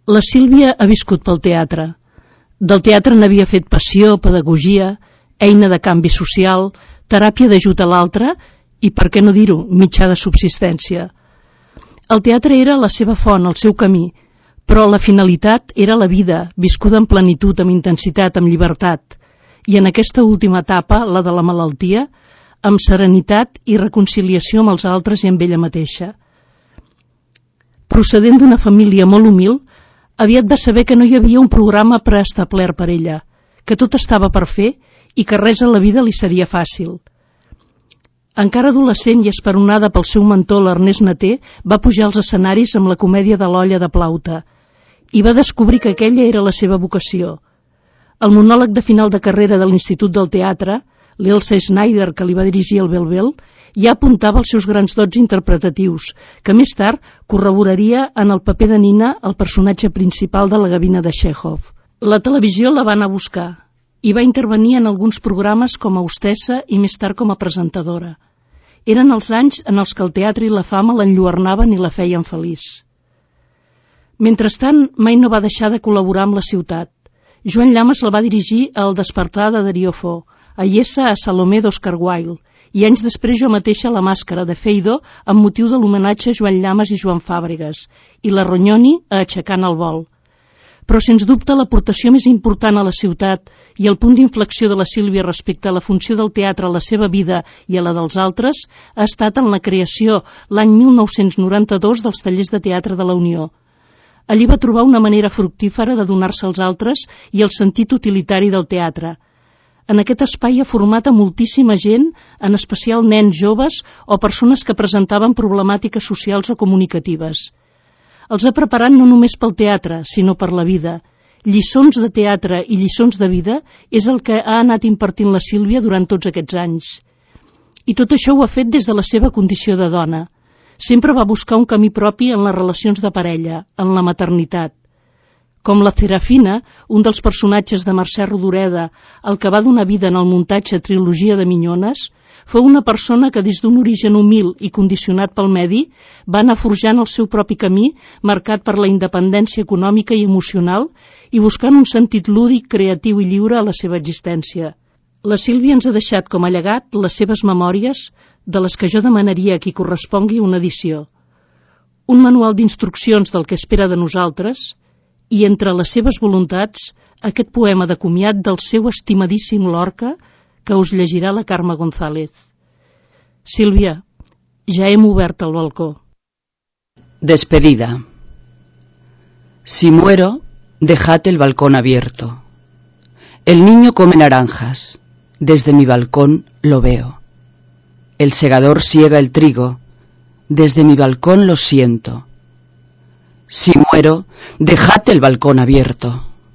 La Sílvia ha viscut pel teatre. Del teatre n'havia fet passió, pedagogia, eina de canvi social, teràpia d'ajut a l'altre i, per què no dir-ho, mitjà de subsistència. El teatre era la seva font, el seu camí, però la finalitat era la vida, viscuda en plenitud, amb intensitat, amb llibertat, i en aquesta última etapa, la de la malaltia, amb serenitat i reconciliació amb els altres i amb ella mateixa. Procedent d'una família molt humil, aviat va saber que no hi havia un programa preestablert per ella, que tot estava per fer i que res a la vida li seria fàcil. Encara adolescent i esperonada pel seu mentor, l'Ernest Naté, va pujar als escenaris amb la comèdia de l'Olla de Plaute i va descobrir que aquella era la seva vocació. El monòleg de final de carrera de l'Institut del Teatre, l'Elsa Schneider, que li va dirigir el Bel-Bel, ja apuntava els seus grans dots interpretatius, que més tard corroboraria en el paper de Nina, el personatge principal de la gavina de Chekhov. La televisió la va anar a buscar i va intervenir en alguns programes com a hostessa i més tard com a presentadora. Eren els anys en els que el teatre i la fama l'enlluernaven i la feien feliç. Mentrestant, mai no va deixar de col·laborar amb la ciutat. Joan Llamas la va dirigir a El despertar de Darío Fo, a Iessa a Salomé d'Oscar Wilde, i anys després jo mateixa La màscara de Feydeau amb motiu de l'homenatge a Joan Llamas i Joan Fàbregas, i la Rognoni a Aixecant el vol. Però, sens dubte, l'aportació més important a la ciutat i el punt d'inflexió de la Sílvia respecte a la funció del teatre a la seva vida i a la dels altres ha estat en la creació, l'any 1992, dels tallers de teatre de la Unió. Allí va trobar una manera fructífera de donar-se als altres i el sentit utilitari del teatre. En aquest espai ha format a moltíssima gent, en especial nens joves o persones que presentaven problemàtiques socials o comunicatives. Els ha preparat no només pel teatre, sinó per la vida. Lliçons de teatre i lliçons de vida és el que ha anat impartint la Sílvia durant tots aquests anys. I tot això ho ha fet des de la seva condició de dona. Sempre va buscar un camí propi en les relacions de parella, en la maternitat. Com la Serafina, un dels personatges de Mercè Rodoreda, el que va donar vida en el muntatge Trilogia de Minyones, fou una persona que des d'un origen humil i condicionat pel medi va anar forjant el seu propi camí marcat per la independència econòmica i emocional i buscant un sentit lúdic, creatiu i lliure a la seva existència. La Sílvia ens ha deixat com a llegat les seves memòries, de les que jo demanaria a qui correspongui una edició. Un manual d'instruccions del que espera de nosaltres i, entre les seves voluntats, aquest poema de comiat del seu estimadíssim Lorca que us llegirà la Carme González. Sílvia, ja hem obert el balcó. Despedida. Si muero, dejad el balcón abierto. El niño come naranjas. Desde mi balcón lo veo. El segador siega el trigo. Desde mi balcón lo siento. Si muero, dejad el balcón abierto.